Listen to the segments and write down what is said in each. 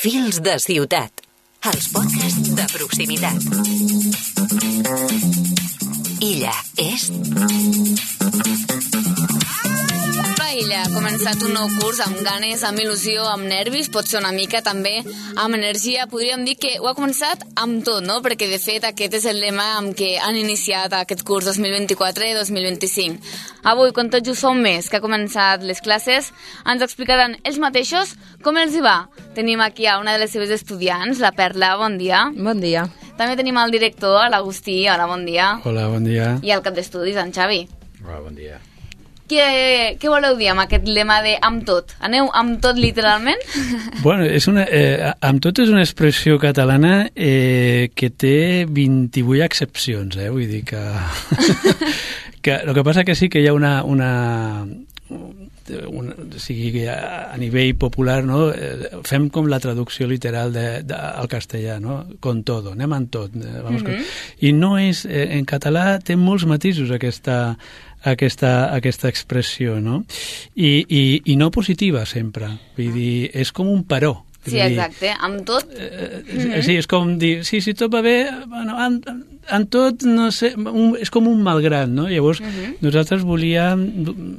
Fils de ciutat, els podcasts de proximitat. Illa Est. Illa ha començat un nou curs amb ganes, amb il·lusió, amb nervis, potser una mica també amb energia. Podríem dir que ho ha començat amb tot, no? Perquè de fet aquest és el lema amb què han iniciat aquest curs 2024-2025. Avui, quan tot just fa un mes que ha començat les classes, ens explicaran ells mateixos com els hi va. Tenim aquí a una de les seves estudiants, la Perla, bon dia. Bon dia. També tenim el director, l'Agustí, hola, bon dia. Hola, bon dia. I el cap d'estudis, en Xavi. Hola, bon dia. Què voleu dir amb aquest lema de amb tot? Aneu amb tot literalment? Bueno, amb tot és una expressió catalana que té 28 accepcions, vull dir que... el que passa que sí que hi ha sigui, a nivell popular, no? Fem com la traducció literal al castellà, no? Con todo, anem amb tot. I no és... En català té molts matisos aquesta expressió, no? I no positiva sempre, vull dir, és com un però. Sí, exacte, amb tot. Sí, és com dir, si tot va bé, bueno, amb tot, no sé, és com un malgrat, no? Llavors, nosaltres volíem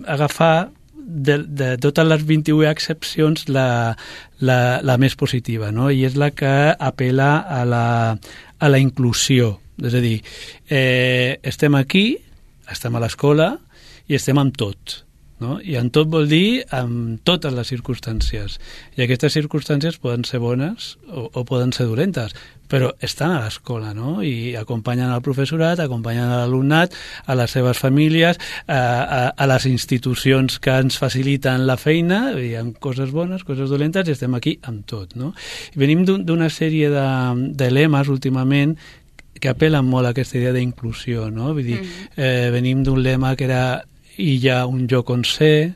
agafar de totes les 28 excepcions la més positiva, no? I és la que apela a la inclusió, és a dir, estem aquí, estem a l'escola i estem amb tot, no? I amb tot vol dir amb totes les circumstàncies. I aquestes circumstàncies poden ser bones o poden ser dolentes, però estan a l'escola, no? I acompanyen el professorat, acompanyen l'alumnat, a les seves famílies, a les institucions que ens faciliten la feina, hi ha coses bones, coses dolentes, i estem aquí amb tot, no? I venim d'una sèrie de lemes últimament que apel·len molt a aquesta idea d'inclusió, no? Vull dir, venim d'un lema que era illa un lloc on ser,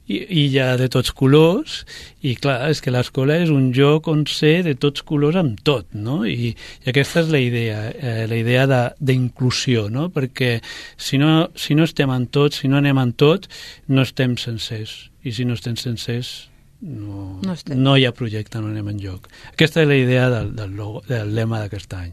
illa de tots colors, i clar, és que l'escola és un lloc on ser de tots colors amb tot, no? I aquesta és la idea d'inclusió, no? Perquè si no estem en tot, si no anem en tot, no estem sencers, i si no estem sencers no hi ha projecte, no anem enlloc. Aquesta és la idea del lema d'aquest any.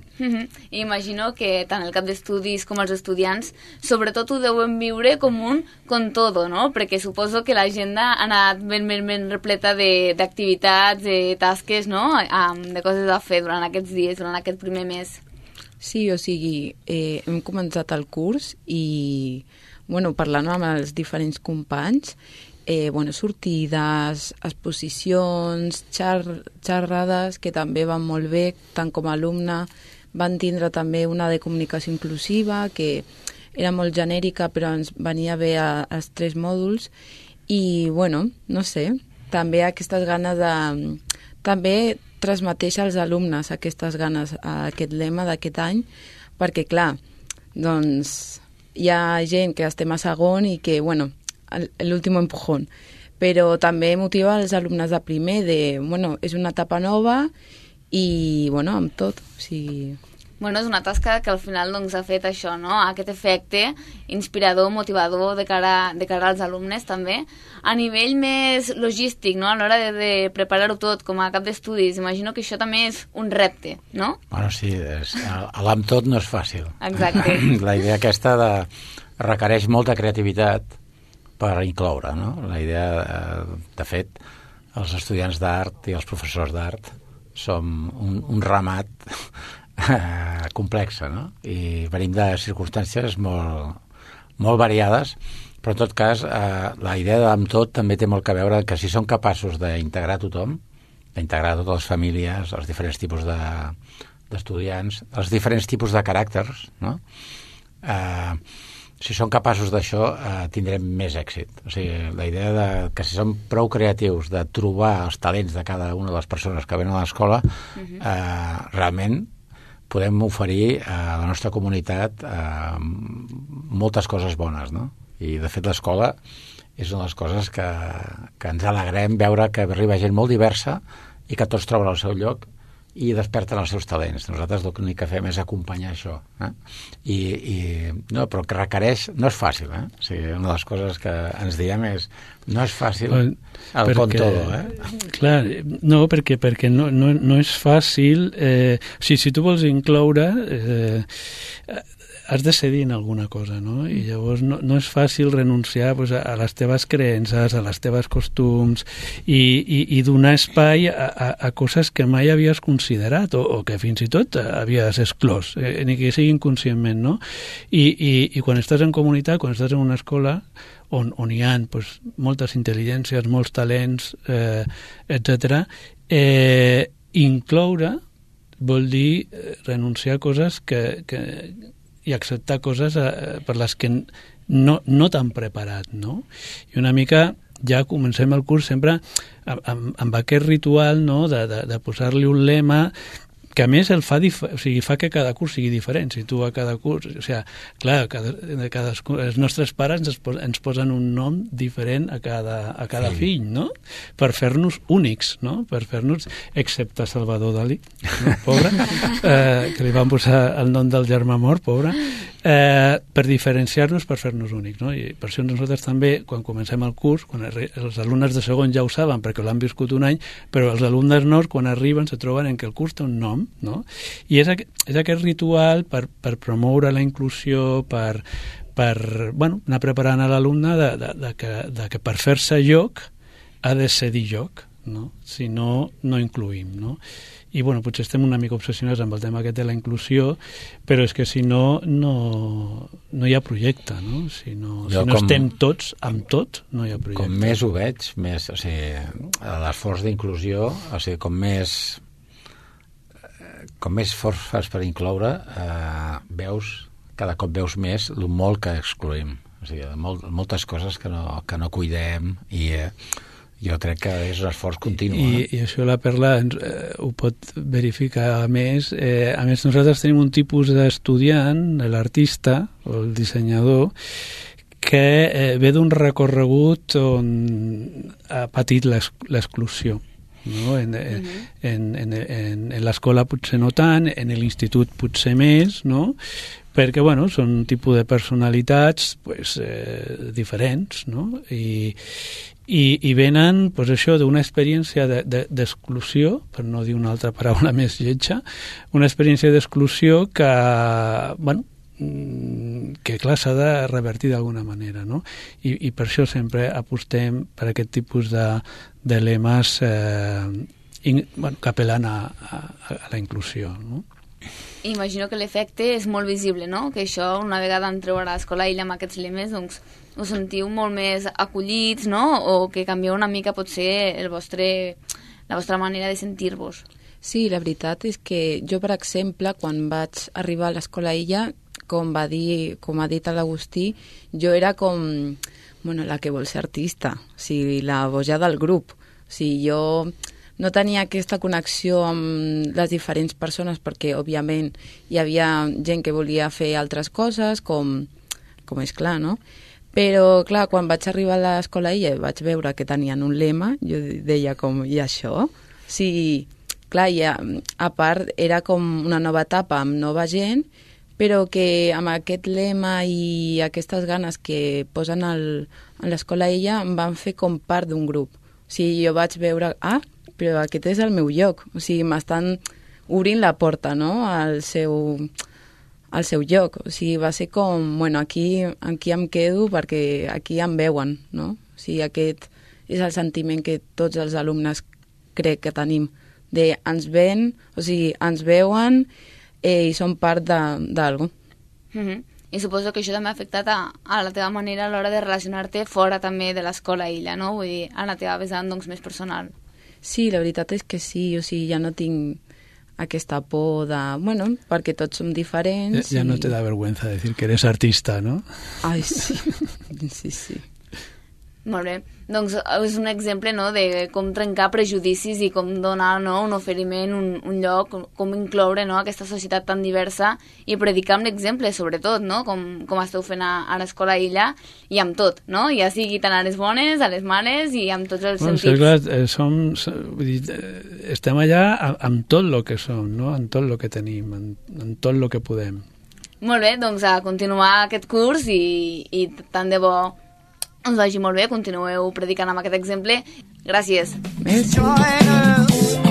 Imagino que tant el cap d'estudis com els estudiants sobretot ho deuen viure com un con todo, no? Perquè suposo que l'agenda ha anat ben repleta d'activitats, de tasques, no? De coses a fer durant aquests dies, durant aquest primer mes. Sí, o sigui, hem començat el curs i, parlant amb els diferents companys, sortides, exposicions, xerrades, que també van molt bé, tant com a alumne. Van tindre també una de comunicació inclusiva, que era molt genèrica, però ens venia bé als 3 mòduls. I, no sé, també aquestes ganes de... També transmeteix als alumnes aquestes ganes, aquest lema d'aquest any, perquè, clar, doncs, hi ha gent que estem a segon i que, l'últim empujón, però també motiva els alumnes de primer és una etapa nova i, amb tot, o sigui... És una tasca que al final ha fet això, no? Aquest efecte inspirador, motivador de cara als alumnes també. A nivell més logístic, no? A l'hora de preparar-ho tot com a cap d'estudis, imagino que això també és un repte, no? Bueno, sí, amb tot no és fàcil. Exacte. La idea aquesta requereix molta creativitat per incloure, no? La idea, de fet, els estudiants d'art i els professors d'art som un ramat complexa, no? I venim de circumstàncies molt variades, però en tot cas la idea d'amb tot també té molt que veure que si som capaços d'integrar tothom, d'integrar totes les famílies, els diferents tipus d'estudiants, els diferents tipus de caràcters, no? Si som capaços d'això, tindrem més èxit. O sigui, la idea que si som prou creatius de trobar els talents de cada una de les persones que venen a l'escola, realment podem oferir a la nostra comunitat moltes coses bones, no? I, de fet, l'escola és una de les coses que ens alegrem veure que arriba gent molt diversa i que tots troben el seu lloc i desperten els seus talents. Nosaltres l'únic que fem és acompanyar això. No, però que requereix... No és fàcil, O sigui, una de les coses que ens diem és no és fàcil el con todo, Clar, no, perquè no és fàcil... Si tu vols incloure... has de cedir en alguna cosa, no? I llavors no és fàcil renunciar a les teves creences, a les teves costums i donar espai a coses que mai havies considerat o que fins i tot havies exclòs, ni que sigui inconscientment, no? I quan estàs en comunitat, quan estàs en una escola on hi ha moltes intel·ligències, molts talents, etc., incloure vol dir renunciar a coses i acceptar coses per les que no t'han preparat, no? I una mica ja comencem el curs sempre amb aquest ritual, no?, de posar-li un lema que a més fa que cada curs sigui diferent. Si tu a cada curs... O sigui, clar, els nostres pares ens posen un nom diferent a cada fill, no? Per fer-nos únics, no? Per fer-nos, excepte Salvador Dalí, no? Pobre, que li van posar el nom del germà mort, pobre, per diferenciar-nos, per fer-nos únics, no? I per això nosaltres també, quan comencem el curs, quan els alumnes de segon ja ho saben perquè l'han viscut un any, però els alumnes nous, quan arriben, se troben en que el curs té un nom, no? I és aquest ritual per promoure la inclusió, per anar preparant a l'alumne de que per fer-se lloc ha de cedir lloc, no? Si no, no incluïm, no? I potser estem una mica obsessionats amb el tema aquest de la inclusió, però és que si no hi ha projecte, no? Si no estem tots amb tot, no hi ha projecte. Com més ho veig, més, o sigui, l'esforç d'inclusió, o sigui, com més esforç fas per incloure, cada cop veus més el molt que excluïm. O sigui, moltes coses que no cuidem i jo crec que és un esforç continu. I això la Perla ho pot verificar més. A més, nosaltres tenim un tipus d'estudiant, l'artista o el dissenyador, que ve d'un recorregut on ha patit l'exclusió. No? En l'escola potser no tant, en l'institut potser més, no? Perquè són un tipus de personalitats diferents, no? I venen això d'una experiència d'exclusió, per no dir una altra paraula més lletja, una experiència d'exclusió que clar, s'ha de revertir d'alguna manera, no? I per això sempre apostem per aquest tipus de lemes que apel·len a la inclusió, no? Imagino que l'efecte és molt visible, no? Que això, una vegada entreu a l'escola i amb aquests lemes, doncs us sentiu molt més acollits, no? O que canvieu una mica potser la vostra manera de sentir-vos. Sí, la veritat és que jo, per exemple, quan vaig arribar a l'escola Illa, com ha dit l'Agustí, jo era com la que vol ser artista, o sigui, la boja del grup. O sigui, jo no tenia aquesta connexió amb les diferents persones perquè, òbviament, hi havia gent que volia fer altres coses, com és clar, no? Però, clar, quan vaig arribar a l'escola Illa i vaig veure que tenien un lema, jo deia i això? O sigui, clar, a part, era com una nova etapa amb nova gent, però que amb aquest lema i aquestes ganes que posen a l'escola Illa em van fer com part d'un grup. O sigui, jo vaig veure, però aquest és el meu lloc. O sigui, m'estan obrint la porta, no?, al seu lloc. O sigui, va ser com, aquí em quedo perquè aquí em veuen, no? O sigui, aquest és el sentiment que tots els alumnes crec que tenim, ens ven, o sigui, ens veuen i són part d'algú. I suposo que això també ha afectat a la teva manera a l'hora de relacionar-te fora també de l'escola Illa, no? Vull dir, a la teva vessant més personal. Sí, la veritat és que sí, o sigui, ja no tinc aquesta por perquè tots som diferents. Ja no te da vergüenza decir que eres artista, ¿no? Ai, sí, sí. Molt bé, doncs és un exemple, no?, de com trencar prejudicis i com donar, no?, un oferiment, un lloc, com incloure, no?, aquesta societat tan diversa i predicar amb l'exemple, sobretot, no?, com esteu fent a l'Escola Illa i amb tot, no?, ja sigui tant a les bones, a les males i amb tots els sentits. Sí, clar, vull dir, estem allà amb tot el que som, no?, amb tot el que tenim, amb tot el que podem. Molt bé, doncs a continuar aquest curs i tant de bo us vagi molt bé, continueu predicant amb aquest exemple. Gràcies. Merci.